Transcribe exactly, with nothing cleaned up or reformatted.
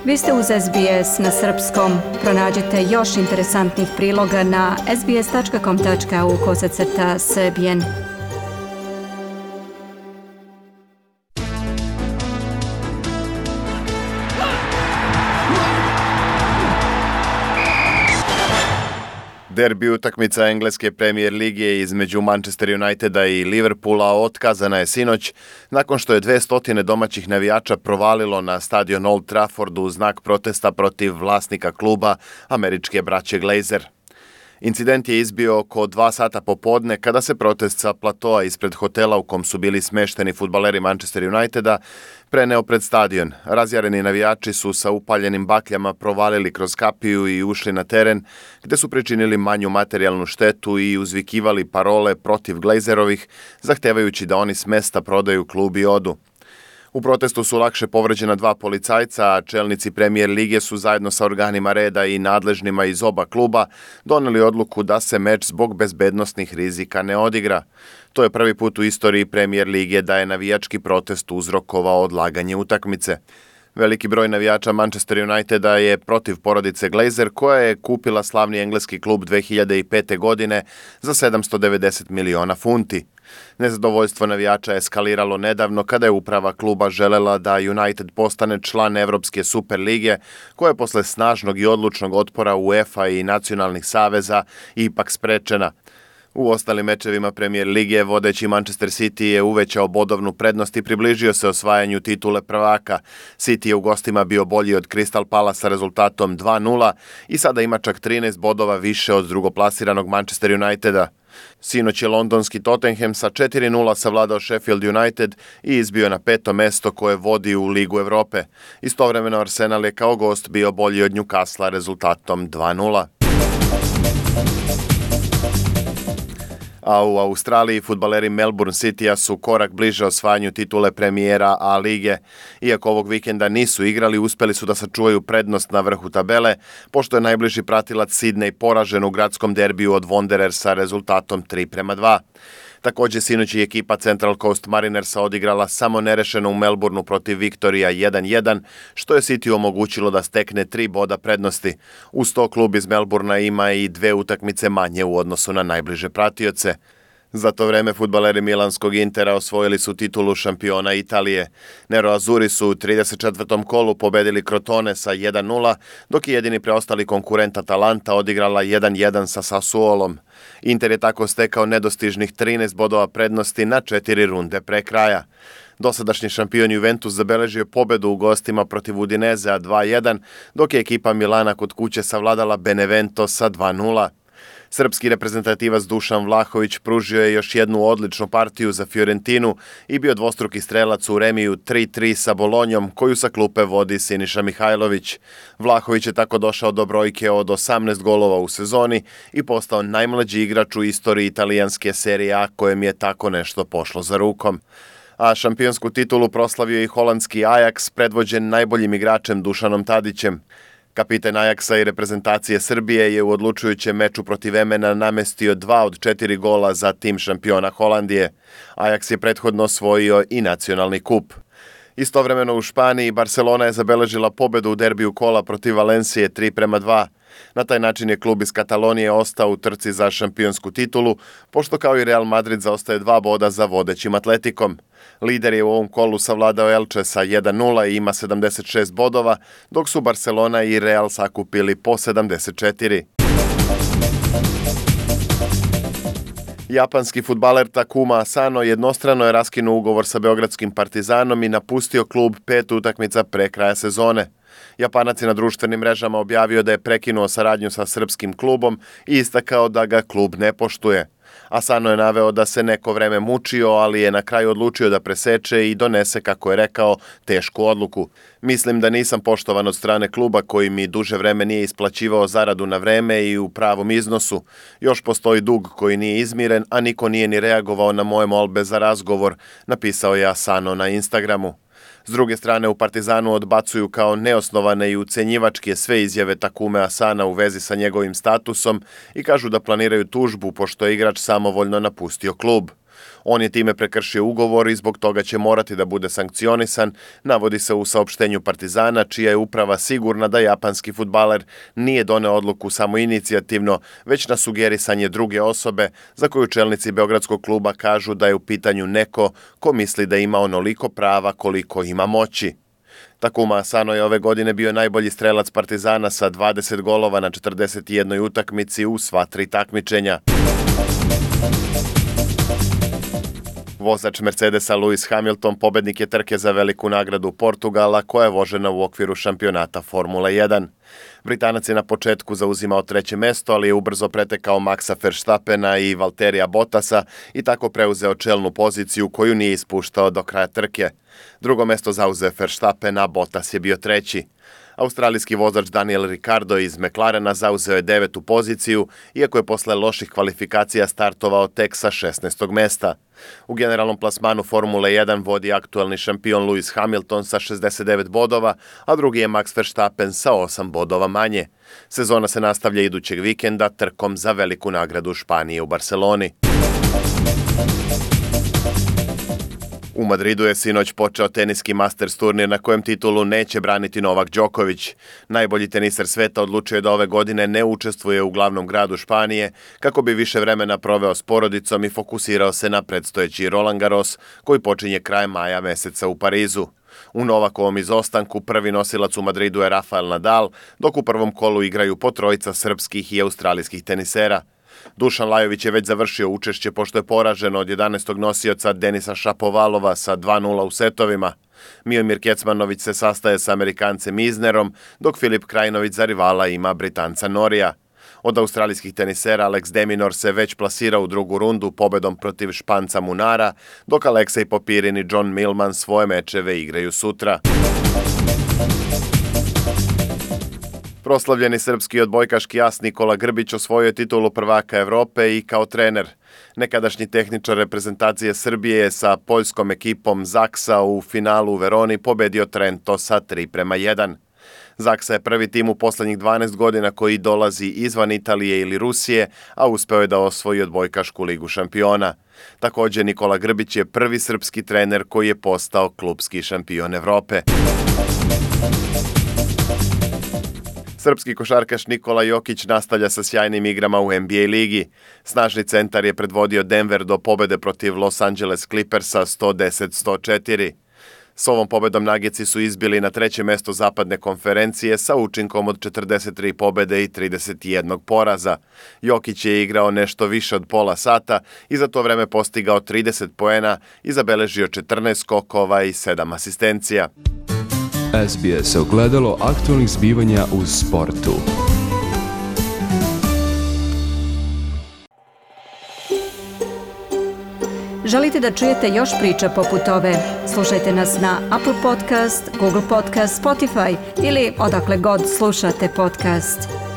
Vi ste uz S B S na srpskom. Pronađite još interesantnih priloga na sbs.com tačka au kosacrta srbijen. Derbi utakmica engleske Premier lige između Manchester Uniteda i Liverpoola otkazana je sinoć nakon što je dvesta domaćih navijača provalilo na stadion Old Trafford u znak protesta protiv vlasnika kluba, američke braće Glazer. Incident je izbio oko dva sata popodne kada se protest sa platoa ispred hotela u kom su bili smešteni fudbaleri Manchester Uniteda preneo pred stadion. Razjareni navijači su sa upaljenim bakljama provalili kroz kapiju i ušli na teren, gde su pričinili manju materijalnu štetu i uzvikivali parole protiv Glazerovih, zahtevajući da oni s mesta prodaju klub i odu. U protestu su lakše povređena dva policajca, a čelnici Premier lige su zajedno sa organima reda i nadležnima iz oba kluba doneli odluku da se meč zbog bezbednosnih rizika ne odigra. To je prvi put u istoriji Premier lige da je navijački protest uzrokovao odlaganje utakmice. Veliki broj navijača Manchester Uniteda je protiv porodice Glazer, koja je kupila slavni engleski klub dve hiljade pete. godine za sedamsto devedeset miliona funti. Nezadovoljstvo navijača je eskaliralo nedavno kada je uprava kluba želela da United postane član Evropske super lige, koja je posle snažnog i odlučnog otpora UEFA i nacionalnih saveza ipak sprečena. U ostalim mečevima Premier lige vodeći Manchester City je uvećao bodovnu prednost i približio se osvajanju titule prvaka. City je u gostima bio bolji od Crystal Palace sa rezultatom dva nula i sada ima čak trinaest bodova više od drugoplasiranog Manchester Uniteda. Sinoć je londonski Tottenham sa četiri nula savladao Sheffield United i izbio na peto mesto koje vodi u Ligu Evrope. Istovremeno Arsenal je kao gost bio bolji od Newcastle rezultatom dva nula. A u Australiji fudbaleri Melbourne Citya su korak bliže osvajanju titule premijera A lige. Iako ovog vikenda nisu igrali, uspeli su da sačuvaju prednost na vrhu tabele, pošto je najbliži pratilac Sydney poražen u gradskom derbiju od Wanderersa rezultatom tri prema dva. Takođe, sinoć je ekipa Central Coast Marinersa odigrala samo nerešeno u Melbourneu protiv Victoria jedan jedan, što je City omogućilo da stekne tri boda prednosti. Uz to klub iz Melbournea ima i dve utakmice manje u odnosu na najbliže pratioce. Za to vreme fudbaleri milanskog Intera osvojili su titulu šampiona Italije. Nero-Azuri su u trideset četvrtom kolu pobedili Crotone sa jedan nula, dok je jedini preostali konkurent Atalanta odigrala jedan jedan sa Sassuolom. Inter je tako stekao nedostižnih trinaest bodova prednosti na četiri runde pre kraja. Dosadašnji šampion Juventus zabeležio pobedu u gostima protiv Udinezea dva jedan, dok je ekipa Milana kod kuće savladala Benevento sa dva nula. Srpski reprezentativac Dušan Vlahović pružio je još jednu odličnu partiju za Fiorentinu i bio dvostruki strelac u remiju tri tri sa Bolonjom, koju sa klupe vodi Siniša Mihajlović. Vlahović je tako došao do brojke od osamnaest golova u sezoni i postao najmlađi igrač u istoriji italijanske serije A kojem je tako nešto pošlo za rukom. A šampionsku titulu proslavio i holandski Ajax, predvođen najboljim igračem Dušanom Tadićem. Kapitan Ajaksa i reprezentacije Srbije je u odlučujućem meču protiv Emena namestio dva od četiri gola za tim šampiona Holandije. Ajaks je prethodno osvojio i nacionalni kup. Istovremeno u Španiji Barcelona je zabeležila pobedu u derbiju kola protiv Valencije tri prema dva. Na taj način je klub iz Katalonije ostao u trci za šampionsku titulu, pošto kao i Real Madrid zaostaje dva boda za vodećim Atletikom. Lider je u ovom kolu savladao Elche sa jedan nula i ima sedamdeset šest bodova, dok su Barcelona i Real sakupili po sedamdeset četiri. Japanski fudbaler Takuma Asano jednostrano je raskinuo ugovor sa beogradskim Partizanom i napustio klub pet utakmica pre kraja sezone. Japanac je na društvenim mrežama objavio da je prekinuo saradnju sa srpskim klubom i istakao da ga klub ne poštuje. Asano je naveo da se neko vreme mučio, ali je na kraju odlučio da preseče i donese, kako je rekao, tešku odluku. Mislim da nisam poštovan od strane kluba koji mi duže vreme nije isplaćivao zaradu na vreme i u pravom iznosu. Još postoji dug koji nije izmiren, a niko nije ni reagovao na moje molbe za razgovor, napisao je Asano na Instagramu. S druge strane, u Partizanu odbacuju kao neosnovane i ucenjivačke sve izjave Takume Asana u vezi sa njegovim statusom i kažu da planiraju tužbu pošto je igrač samovoljno napustio klub. On je time prekršio ugovor i zbog toga će morati da bude sankcionisan, navodi se u saopštenju Partizana, čija je uprava sigurna da japanski fudbaler nije doneo odluku samoinicijativno, već na sugerisanje druge osobe za koju čelnici beogradskog kluba kažu da je u pitanju neko ko misli da ima onoliko prava koliko ima moći. Takuma Asano je ove godine bio najbolji strelac Partizana sa dvadeset golova na četrdeset jednoj utakmici u sva tri takmičenja. Vozač Mercedesa Lewis Hamilton pobednik je trke za veliku nagradu Portugala koja je vožena u okviru šampionata Formule jedan. Britanac je na početku zauzimao treće mesto, ali je ubrzo pretekao Maxa Verstappena i Valtterija Bottasa i tako preuzeo čelnu poziciju koju nije ispuštao do kraja trke. Drugo mesto zauzeo Verstappen, a Bottas je bio treći. Australijski vozač Daniel Ricciardo iz McLarena zauzeo je devetu poziciju, iako je posle loših kvalifikacija startovao tek sa šesnaestog mesta. U generalnom plasmanu Formule jedan vodi aktuelni šampion Lewis Hamilton sa šezdeset devet bodova, a drugi je Max Verstappen sa osam bodova manje. Sezona se nastavlja idućeg vikenda trkom za veliku nagradu Španije u Barceloni. U Madridu je sinoć počeo teniski Masters turnir na kojem titulu neće braniti Novak Đoković. Najbolji teniser sveta odlučio je da ove godine ne učestvuje u glavnom gradu Španije kako bi više vremena proveo s porodicom i fokusirao se na predstojeći Roland Garros koji počinje krajem maja meseca u Parizu. U Novakovom izostanku prvi nosilac u Madridu je Rafael Nadal, dok u prvom kolu igraju po trojica srpskih i australijskih tenisera. Dušan Lajović je već završio učešće pošto je poražen od jedanaestog nosioca Denisa Šapovalova sa dva nula u setovima. Miomir Kecmanović se sastaje sa Amerikancem Isnerom, dok Filip Krajinović za rivala ima Britanca Norija. Od australijskih tenisera Alex de Minaur se već plasira u drugu rundu pobedom protiv Španca Munara, dok Aleksej Popirin i John Millman svoje mečeve igraju sutra. Proslavljeni srpski odbojkaški as Nikola Grbić osvojio je titulu prvaka Evrope i kao trener. Nekadašnji tehničar reprezentacije Srbije je sa poljskom ekipom Zaksa u finalu u Veroni pobedio Trento sa tri prema jedan. Zaksa je prvi tim u poslednjih dvanaest godina koji dolazi izvan Italije ili Rusije, a uspeo je da osvoji odbojkašku ligu šampiona. Također Nikola Grbić je prvi srpski trener koji je postao klupski šampion Evrope. Srpski košarkaš Nikola Jokić nastavlja sa sjajnim igrama u N B A ligi. Snažni centar je predvodio Denver do pobede protiv Los Angeles Clippersa sto deset sto četiri. S ovom pobedom Nuggetsi su izbili na treće mesto zapadne konferencije sa učinkom od četrdeset tri pobede i trideset jedan poraza. Jokić je igrao nešto više od pola sata i za to vreme postigao trideset poena i zabeležio četrnaest skokova i sedam asistencija. S B S ogledalo aktualnih zbivanja u sportu. Želite da čujete još priča poput ove? Slušajte nas na Apple Podcast, Google Podcast, Spotify ili odakle god slušate podcast.